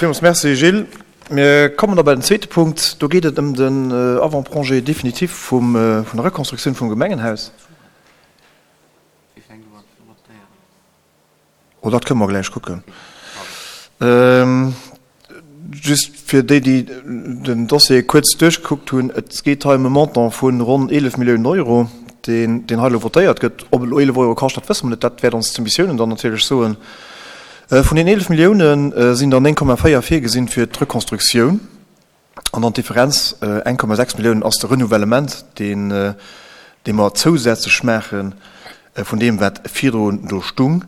Villmools Merci, Gilles. Mir kommen da bei den zweete Punkt. Do geet et ëm den Avant-projet définitif vum, vun der Rekonstruktioun vum Gemengenhaus. Oh, dat kënne mer gläich kucken. Just fir déi, déi den Dossier kuerz duerchgekuckt hunn, Et geet hei ëm e Montant vu ronn 11 Milliounen Euro, deen, deen hei elo votéiert gëtt. Ob et elo 11 Euro kascht, dat wësse mer net. Dat wäert ons d'Soumissiounen dann natierlech soen. Vun den 11 Millioune sinn der 9,4 virgesinn fir d'Rekonstruktioun an dann d'Differenz, 1,6 Milliounen, ass de Renouvellement, deen dee mer zousätzlech maache vun deem, wat virdrun do stung.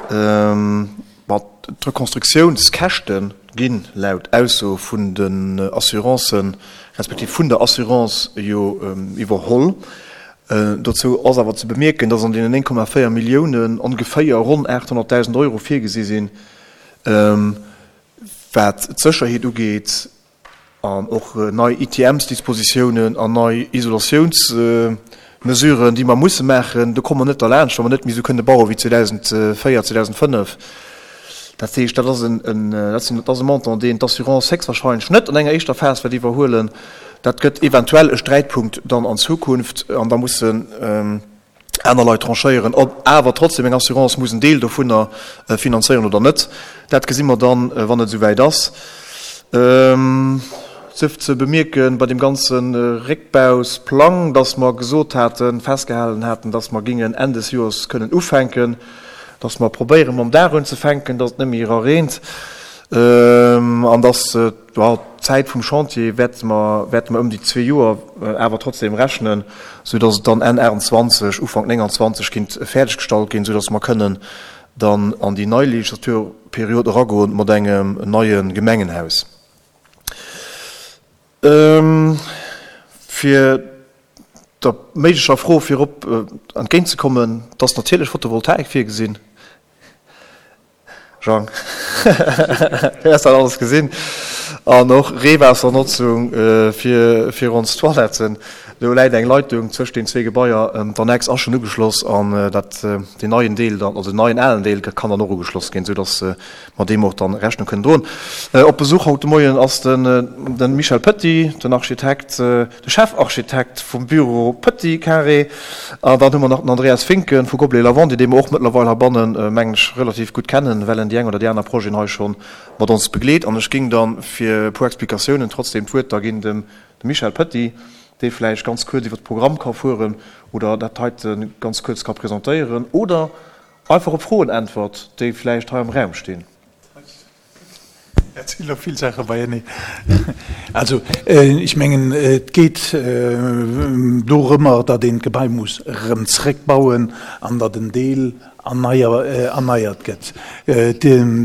Ma d'Rekonstruktiounskäschte gi laut Ausso vun den Assurancen, respektiv vun der Assurance jo iwwerholl. Dozou ass awer ze bemierken, dass an deenen 9,4 Milliounen ongeféier ronn 800.000 Euro virgesi sinn, wat d'Sécherheet ugeet an och nei ITMs-Dispositiounen an nei Isolatiounsmesuren, déi mer musse maachen. Do komme mer net derlaanscht, wa mer net méi esou kënne baue wéi 2004, 2005. Dat heescht, dat ass en, dat ass e Montant, deen d'Assurance héchstwahrscheinlech net an enger éischter Phas wäert iwwerhuelen. Dat gëtt eventuell e Sträitpunkt dann an Zukunft an da mussen aner Leit tranchéieren, ob awer trotzdem eng Assurance muss en Deel dovunner finanzéieren oder net. Dat gesi mer dann, wann et esouwäit ass. Sief ze bemierke bei deem ganze Réckbausplang, dass mer gesot haten, festgehalen haten, dass mer gingen Enn des Joers kënnen ufänken, dass mer probéiere mam Daach unzefänken, dass et net méi erareent an dass d'Zäit vum Chantier wäerte mer wäerte mer ëm déi zwee Joer awer trotzdem rechnen, sou dass et dann Enn 28, Ufank 29 kinnt fäerdeggestallt ginn, sou dass mer kënnen dann an déi nei Legislaturperiod eragoen mat engem neie Gemengenhaus. Fir der méiglecher Fro virop entgéintzekommen, et ass natierlech Photovoltaik virgesinn. Jean, du hues dat alles gesinn. An och Reewaassernotzung fir fir ons Toiletten. Do läit eng Leitung zwëscht den zwee Gebaier. D'Annex ass schonn ugeschloss an dat deen neien Deel dann, also den neien alen Deel kann dann och ugeschloss ginn, soudass mer deem och dann Rechnung kënnen droen. Op Besuch haut de Moien ass den den Michel Petit, den Architekt, de Chefarchitekt vum Büro Petit Carré. An dann hu mer nach den Andreas Finken vu Gobelet Lavandier, dee mer och mëttlerweil heibannen, mengen ech, relativ gutt kennen, well en déi eng oder déi aner Projeten hei scho mat ons begleet. An ech géing dann fir e puer Explikatiounen trotzdem d'Wuert da ginn dem Michel Petit, dee vläicht ganz kuerz iwwer de Programm ka fueren oder dat heite ganz kuerz ka presentéieren oder einfach op Froen äntwert, déi vläicht hei am Raum stinn. Dat sinn elo vill Saache beieneen. Also, ech mengen, et geet dorëmmer, datt een d'Gebai muss erëm zrëckbauen an datt en Deel erneiert gëtt.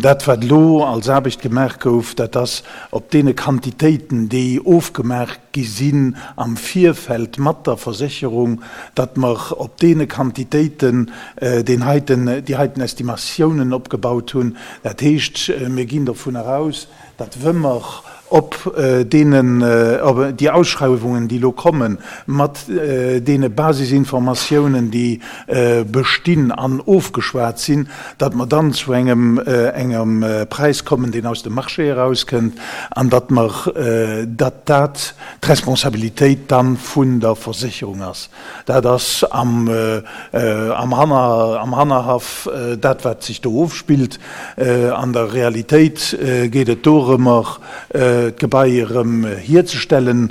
Dat, wat elo als Aarbecht gemaach gouf, dat ass op deene Quantitéiten, déi ofgemaach gi sinn am Virfeld mat der Versécherung, datt mer op deene Quantitéiten deen heiten, déi heiten Estimatiounen opgebaut hunn. Dat heescht, mir ginn dovun eraus, datt wa mer op deenen, op déi Ausschreiwungen, déi elo kommen, mat deene Basisinformatiounen, déi bestinn an ofgeschwat sinn, datt mer dann zu engem, engem Präis kommen, deen aus dem Marché erauskënnt, an datt mer, datt dat d'Responsabilitéit dann vun der Versécherung ass. Dat ass am, am Hanner, am Hannerhaff dat, wat sech do ofspillt. An der Realitéit geet et dorëmmer, d'Gebai erëm hierzestellen.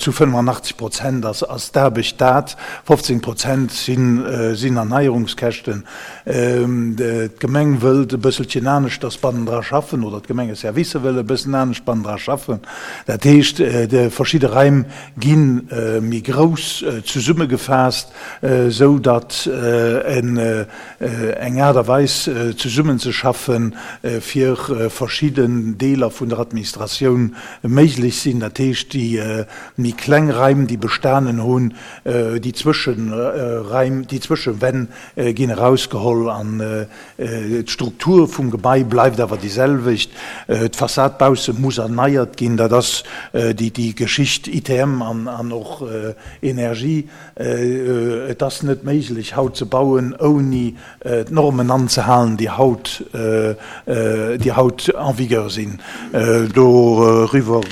Zu 85 Prozent ass, ass d'Aarbecht dat, 15 Prozent sinn, sinn Erneierungskäschten. D'Gemeng wëllt e bësselchen aneschters bannendra schaffen, oder d'Gemengeservicer wëlle e bëssen anescht bannendra schaffen. Dat heescht, verschidde Raim gi méi grouss zesummegefaasst, esou datt eng Aart a Weis zesummenzeschaffen, fir verschidden Deeler vun der Administratioun. hunn, méiglech sinn. Dat heescht, déi méi kleng Raim, déi bestanen hunn, déi Zwëscheraim, déi Zwëschewänn ginn erausgeholl an d'Struktur vum Gebai bleift awer déi selwecht. D'Fassad bausse muss erneiert ginn. Dat ass déi Geschicht ITM an och Energie. Et ass net méiglech haut ze bauen, ouni d'Normen anzehalen, déi haut, déi haut en vigueur sinn. Doriwwer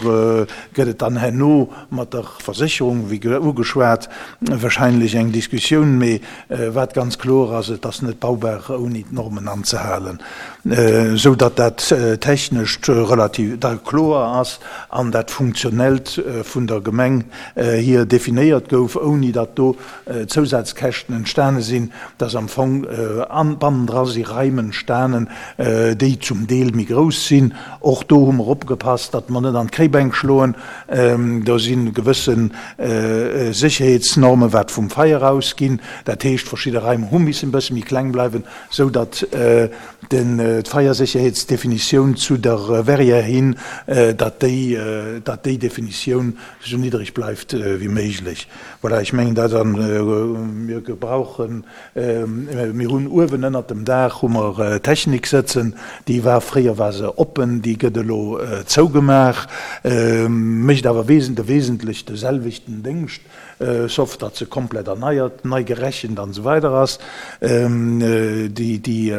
gëtt et dann herno mat der Versécherung, wéi ugeschwat, wahrscheinlech eng Diskussioun. Mee wat ganz kloer ass, et ass net baubar, ouni d'Normen anzehalen, esou datt dat Technescht relativ da kloer ass an dat Funktionellt vun der Gemeng hier definéiert gouf, ouni datt do Zousazkäschten entstane sinn, dass am Fong bannendra si Raim entstanen, déi zum Deel méi grouss sinn. Och do hu mer opgepasst, datt mer net an d'Kréibänk schloen. Do si gewësse Sécherheetsnormen, wat vum Feier ausginn. Dat heescht, verschidde Raim hu missen e bësse méi kleng bleiwen, sou datt d'Feiersécherheetsdefinitioun zu der Verrière hin, datt déi Definitioun esou niddreg bleift wéi méiglech. Voilà, ech mengen dat an mir gebrauchen, mir hunn uewen ënnert dem Daach hu mer Technik sëtzen, déi war, fréier war se oppen, déi gëtt elo zougemaach, mécht awer de wesentlech de selwechten Déngscht, sauf datt se komplett erneiert, nei gerechent an esou weider ass. Déi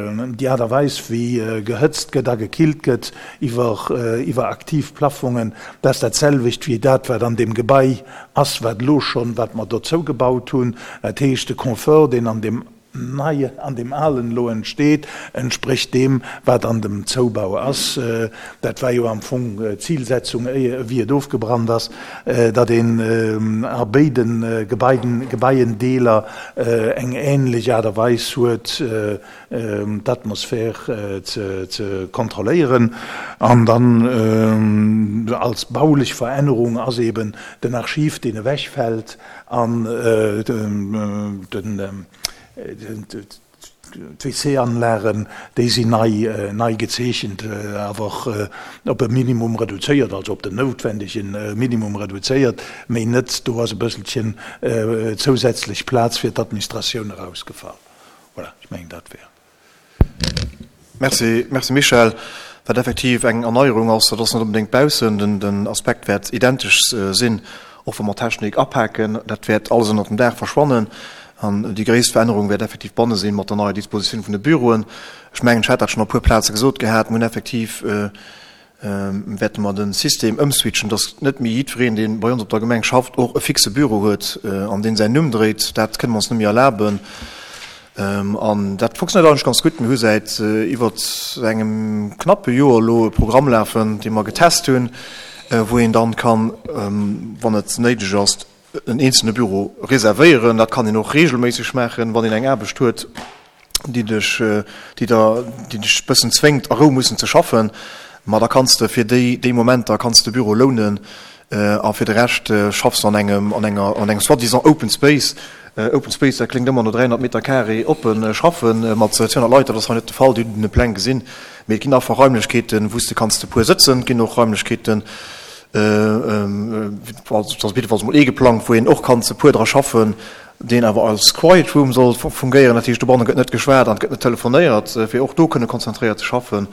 Aart a Weis wéi gehëtzt gëtt a gekillt gëtt iwwer iwwer aktiv Plaffongen, dat ass dat selwecht wéi dat wat an deem Gebai ass, wat elo schonn, wat mer dozou gebaut hunn. Dat heescht, de Confort, deen an deem neien, an deem alen elo entsteet, entsprécht deem, wat an dem Zoubau ass. Dat war jo am Fong d'Zilsetzung, wéi et ofgebrannt ass, datt een a béide Gebaien, Gebaiendeeler eng ähnlech Aart a Weis huet, d'Atmosphär ze kontrolléieren. An dann als baulech Verännerung ass eben den Archiv, deen ewechfält, an d'WC-Anlagen, déi sinn nei gezeechent, awer op e Minimum reduzéiert, also op den noutwendege Minimum reduzéiert, mee net, do ass e bësselchen zousätzlech Plaz fir d'Administratioun erausgefall. Voilà, ech mengen dat wär. Merci, merci Michèle. Wat effektiv eng Erneierung ass, dat ass net onbedéngt baussen, den, den Aspekt wäert identesch sinn, och wa mer Technik apaken, dat wäert alles ënnert dem Daach verschwannen. An déi gréisst Verännerung wäert effektiv banne sinn, mat der neier Dispositioun vun de Büroen. Ech mengen, ech hat dat schonn op e puer Plaze gesot gehat, mir hunn effektiv, wäerte mer de System ëmswitchen, dass net méi jiddwereen, dee bei ons op der Gemeng schafft, och e fixe Büro huet, an deen säin Numm dréit. Dat kënne mer ons net méi erlaben. An dat funktionéiert eigentlech ganz gutt. Mir hu säit iwwer engem knappe Joer elo e Programm lafen, dee mer getest hunn, wou een dann kann, wann et néideg ass, en eenzelne Büro reservéieren. Dat kann een och regelméisseg maachen, wann een eng Aarbecht huet, déi dech, déi der, déi dech e bëssen zwéngt, a Rou mussen ze schaffen. Ma da kanns de fir déi, déi Momenter kanns de Büro lounen a fir de Rescht schaffs de an engem, an enger, an engem soi-disant Open Space. Open Space, dat kléngt ëmmer no 300 Meter carré oppe schaffen mat 200 Leit. Dat ass hei net de Fall, Dir hutt den Pläng gesinn. Mee et ginn einfach Raimlechkeeten, wou s de kanns zu puer sëtzen. Et ginn och Raimlechkeeten, also ass op jiddefalls mol ee geplangt, wou een och kann zu puer dra schaffen, deen awer als Quiet Room soll fungéieren. Dat heescht, dobanne gëtt net geschwat an et gëtt net telefonéiert, fir och do kënne konzentréiert ze schaffen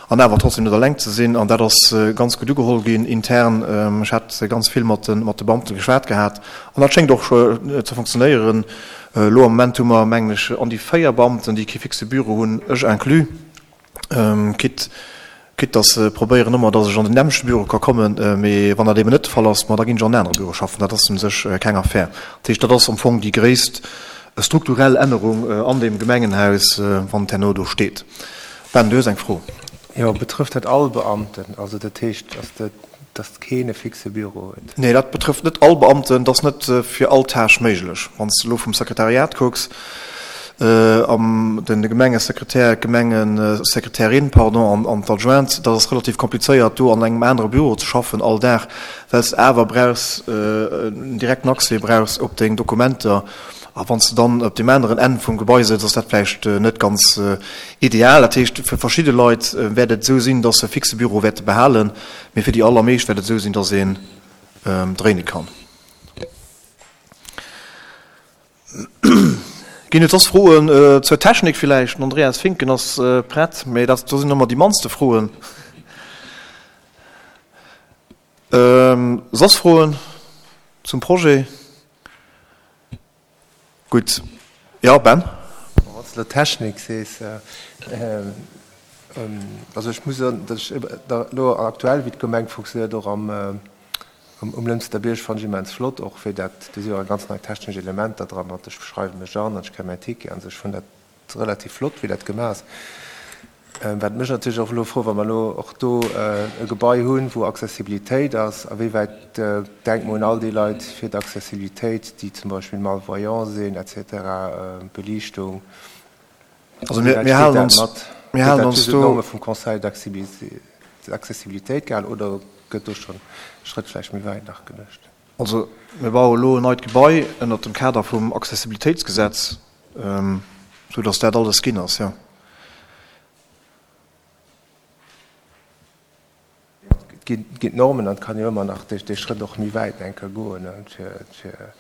an awer trotzdem net eleng ze sinn. An dat ass ganz gutt ugeholl ginn intern. Ech hat ganz vill mat de Beamte geschwat gehat an dat schéngt och ze funktionéieren. Elo am Moment hu mer, mengen ech, an déi 4 Beamten, déi kee fixe Büro hunn, ech inclus, Quitte, quitte dass se probéieren ëmmer, dass ech an den nämmlechte Büro ka kommen, mee wann dat eben net de Fall ass, ma da ginn ech an en anere Büro schaffen. Dat ass u sech keng Affär. Dat heescht, dat ass am Fong déi gréisst strukturell Ännerung an deem Gemengenhaus, wann et herno do steet. Ben, du hues eng Fro. Jo, betrëfft dat all Beamten? Also dat heescht, ass dat, dass keen e fixe Büro huet? Nee, dat betrëfft net all Beamten. Dat ass net fir all Tâche méiglech. Wann s de elo vum Sekretariat kucks, am den Gemengesekretär, d'Gemengesekretärin, pardon, an d'Adjointe, dat ass relativ komplizéiert, do an engem anere Büro ze schaffen all Dag, well s de awer brauchs, en direkten Accès brauchs op deng Dokumenter. A wann s de dann op deem aneren Enn vum Gebai sëtz, ass dat vläicht net ganz ideal. Dat heescht, fir verschidde Leit wäert et esou sinn, dass se e fixe Büro wäerte behalen, mee fir déi allermeescht wäert et esou sinn, dass een dréine kann. Ginn et soss Froen zur Technik villäicht? Den Andreas Finken ass prett, mee dat do sinn ëmmer déi mannste Froen. Soss Froen zum Projet? Gutt. Jo, Ben? Wann s de elo Technik sees, also ech muss soen, datt ech elo aktuell, wéi d'Gemeng funktionéiert, och am um Lënster Bierg, fannen ech immens flott, och wéi dat, do si jo ganz nei technesch Elementer dran, mat ech schreiwe mech an an ech kréie mäin Ticket an esou. Ech fannen dat relativ flott, wéi dat gemaach ass. Wat mech natierlech och elo fro, wa mer elo och do e Gebai hunn, wou Accessibilitéit ass, a wéi wäit denke mer un all déi Leit fir d'Accessibilitéit, déi zum Beispill malvoyant sinn et cetera, Beliichtung, Also mir, mir halen ons, mir halen ons do. Norme vum Conseil d'accessibilité gehalen oder gëtt do schonn e Schrëtt vläicht méi wäit nach geduecht? Also mir baue elo en neit Gebai ënnert dem Kader vum Accessibilitéitsgesetz, esou datt dat alles ginn ass, jo. Et ginn d'Normen an et kann jo ëmmer nach dee Schrëtt och méi wäit eng Kéier goen, fir,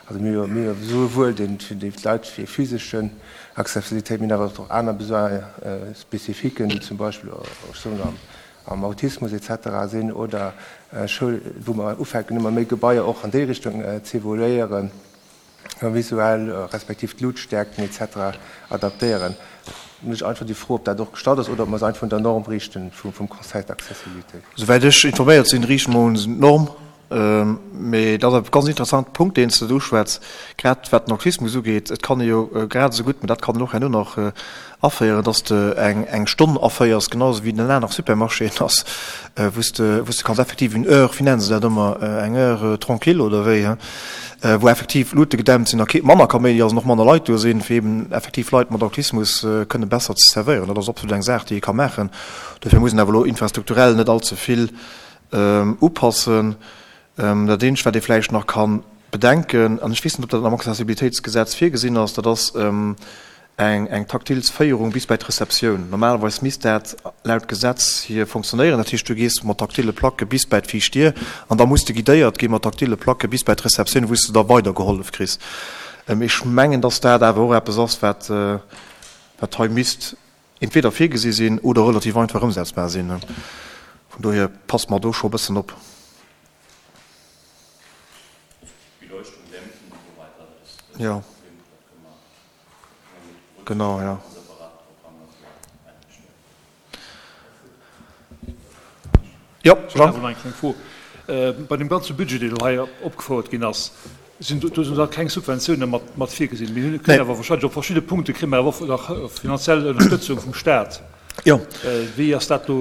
also mir hu jo souwuel dee fir déi Leit fir physeschen Accessibilitéit, mir hunn awer och aner Besoins spécifiquen, déi zum Beispill, ech soen am am Autismus et cetera sinn oder Schoul, wou mer ufänken ëmmer méi Gebaier och an déi Richtung z'evoluéieren. visuell respektiv d'Luutstäerkten et cetera adaptéieren. Mech einfach déi Fro, ob dat och gestallt ass oder ob mer eis einfach un der Norm riichten vum Conseil d'accessibilité. Souwäit ech informéiert sinn, riichte mer ons un d'Norm. Mee dat ass e ganz interessante Punkt, deen s de do uschwätz, grad wat den Autismus ugeet. Et kann ee jo grad esou gutt, mä dat kann een och herno nach aféieren, dass de eng Stonn aféiers, genau esou wéi den aner Supermarchéen ass, wou s de, wou s de kanns effektiv une heure, wéi nennen se dat ëmmer, eng heure tranquille oder wéi, hein, wou effektiv d'Luute gedämpt sinn a kee, manner Kaméidi ass an och manner Leit do sinn, fir eben effektiv Leit mat Autismus kënne besser ze servéieren. Dat ass absolut eng Saach, déi ee ka maachen. Dofir muss een awer elo infrastrukturell net allze vill upassen. Dat eenzegt, wat ee vläicht nach ka bedenken, an ech weess net, ob dat am Accessibilitéitsgesetz virgesinn ass, dat ass eng taktil Féierung bis bei d'Receptioun. Normalerweis misst dat laut Gesetz hier fonctionnéieren. Dat heescht, du gees mat taktile Placke bis bei d'viischt Dier an da muss de guidéiert gi mat taktile Placke bis bei d'Receptioun, wou s de da weidergehollef kriss. Ech mengen, dass dat awer och eppes ass, wat hei misst entweder virgesi sinn oder relativ einfach ëmsetzbar sinn. Vun dohier passe mer do scho e bëssen op. Jo. Genau, ja. Jo, Jean? Eng kleng Fro. Bei deem ganze Budget, deen elo hei opgefouert ginn ass, sinn do, do sinn da keng Subventioune mat, mat virgesinn. Mir hunn, kréien awer wahrscheinlech op verschidde Punkte kréie mer awer och nach finanziell Ënnerstëtzung vum Staat. Jo. Wéi ass dat do,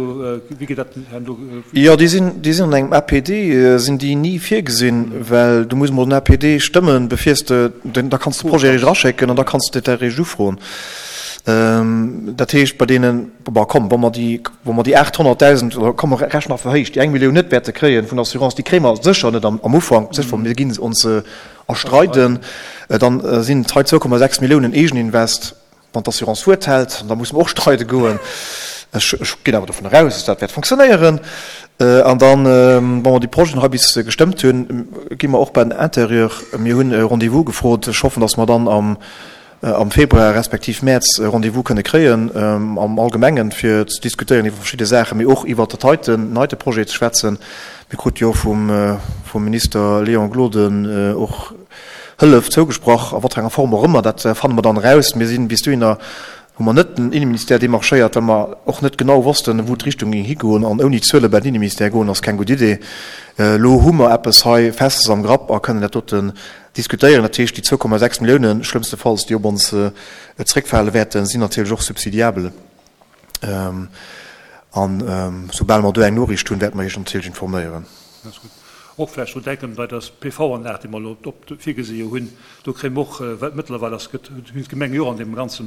wéi geet dat herno do? Jo, déi sinn, déi sinn an engem APD, sinn déi ni virgesinn, well du muss emol den APD stëmmen, bevir s de den, da kanns de de Projet eréischt eraschécken an da kanns de dat eréischt ufroen. Dat heescht, bei deenen, bon, komm, wa mer déi, wa mer déi 800.000, oder komm, mer rechnen nach verhéicht, déi eng Millioun net wäerte kréien vun der Assurance, déi kréie mer sécher net am, am Ufank, sécher, mir ginn ons erstreiden, dann sinn et hei 2,6 Milliounen Eegeninvest. Wann d'Assurance Wuert hält, da musse mer och streide goen. Ech ginn awer dovun eraus, dass dat wäert fonctionnéieren. An dann, wa mer déi Projeten hei bis gestëmmt hunn, gi mer och bei den Intérieur. Mir hunn e Rendez-vous gefrot. Ech hoffen, dass mer dann am Februar respektiv Mäerz e Rendez-vous kënne kréien am Allgemengen, fir ze diskutéieren iwwer verschidde Saachen, mee och iwwert dat heiten, den heite Projet ze schwätzen. Mir krute jo vum Minister Léon Gloden och Hëllef zougesprach, a wat fir enger Form och ëmmer, dat fanne mer dann eraus. Mir sinn bis dohinner, hu mer net den Inneministère demarchéiert, well mer och net genau wossten, wou d'Richtung géing higoen. An ouni Zuele bei den Inneministère goen, ass keng gutt Idee. Elo hu mer eppes hei Festes am Grapp a kënnen dat doten diskutéieren. Dat heescht, déi 2,6 Milliounen, schlëmmstefalls, déi op ons zréckfale wäerten, sinn natierlech och subsidiabel. An soubal mer do eng Noriicht hunn, wäerte mer Iech natierlech informéieren. Ganz gutt. Och vläicht drun denken, bei der PV-Anlag, déi mer elo virgesi jo hunn, do kréie mer och, well mëttlerweil ass, gëtt, hunn d'Gemenge jo och an deem ganze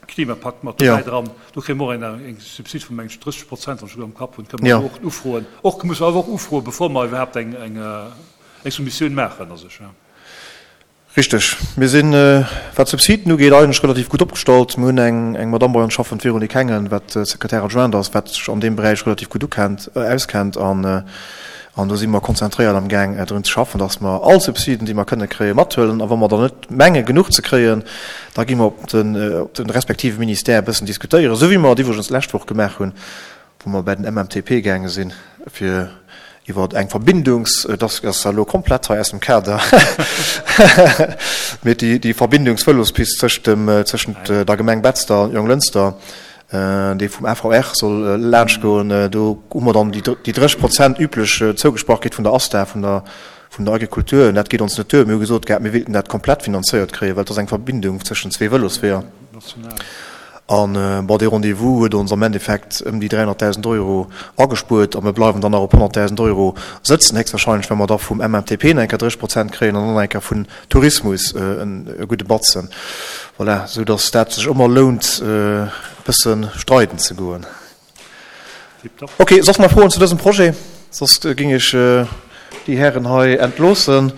Klimapakt mat dobäi dran, do kréie mer och eng, eng Subsid vun, meng ech, 30 Prozent, wann ech gutt am Kapp hunn, kënne mer och ufroen. Och musse mer awer och ufroen, bevor mer iwwerhaapt eng, eng, eng Soumissioun maachen a sech. Richteg. Mir sinn, wat d'Subsiden ugeet, eigentlech relativ gutt opgestallt. Mir hunn eng, eng Madamm bei ons schaffen, d'Véronique Hengen, wat Secrétaire adjointe ass, wat sech an deem Beräich relativ gutt ukennt, auskennt. An, an do si mer konzentréiert amgaang drun ze schaffen, dass mer all Subsiden, déi mer kënne kréien, mathuelen. A wa mer der net menge genuch ze kréien, da gi mer op den, op de respektive Ministère e bëssen diskutéieren, esou wéi mer et iwwregens d'lescht Woch gemaach hunn, wou mer bäi den MMTP gaange sinn, fir iwwer eng Verbindungs-, et ass zwar elo komplett hei aus dem Kader, mee déi Verbindungsvëlospist tëscht dem, tëschent der Gemeng Betzder an Jonglënster, déi vum AVR soll laanschtgoen, do hu mer dann déi 30 Prozent üblech zougesprach kritt vun der ASTA, vun der, vun der Agriculture. Dat geet ons net duer. Mir hu gesot gehat, mir wéilten dat komplett finanzéiert kréien, well et ass eng Verbindung tëschent zwee Vëlosweeër. An, bon, dee Rendez-vous huet ons am Endeffekt ëm déi 300.000 Euro agespuert a mir bleiwen dann nach op 100.000 Euro sëtzen, héchstwahrscheinlech, well mer da vum MMTP nach eng Kéier 30 Prozent kréien an dann nach eng Kéier vun Tourismus e gudde Batzen. Voilà, esou datt dat sech ëmmer lount, e bësse streiden ze goen. Ok, soss nach Froen zu dësem Projet? Soss géing ech déi Hären hei entloossen.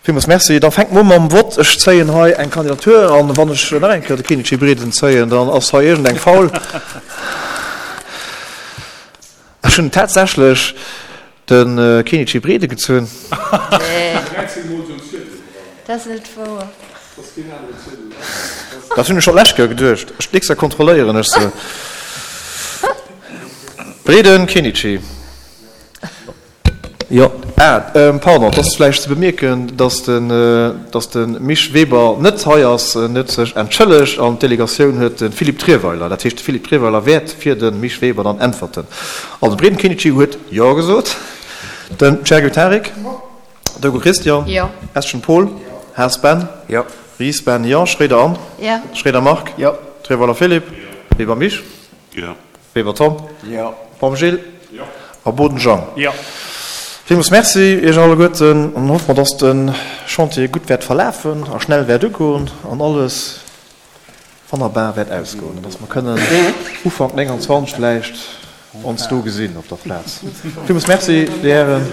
Villmools Merci. Da fänke mer u mam Vott. Ech zéien hei eng Kandidatur an wann ech nach eng Kéier de Kenichi Breden zéien, dann ass hei iergendeng faul. Ech hunn tatsächlech de Kenichi Breden gezunn. Nee, dat ass net wouer. Dat hunn ech scho d'lescht Kéier geduecht. Ech, d'nächst Kéier kontrolléieren ech se. Breden Kenichi. Jo, ah, pardon, et ass vläicht ze bemierken, dass den, dass de Misch Weber net hei ass. En huet sech entschëllegt an d'Delegatioun huet de Philippe Trierweiler. Dat heescht, de Philippe Trierweiler wäert fir de Misch Weber dann äntwerten. Also, de Breden Kenichi huet Jo gesot, den Chergui Tarik, Dogo Christian, Jo. Eschen Paul, Haas Ben, Jo. Ries Ben, Jo, Schroeder Anne, Jo. Schroeder Marc, Jo. Trierweiler Philippe, Weber Misch, Jo. Weber Tom. Jo. Baum Gilles. Jo. A Boden Jean. Jo. Villmools Merci Iech alleguerten an hoffe mer, dass de Chantier gutt wäert verlafen a schnell wäert ugoen an alles wonnerbar wäert ausgoen an dass mer kënnen Ufank 29 vläicht ons do gesinn op der Plaz. Villmools Merci, Dir Hären.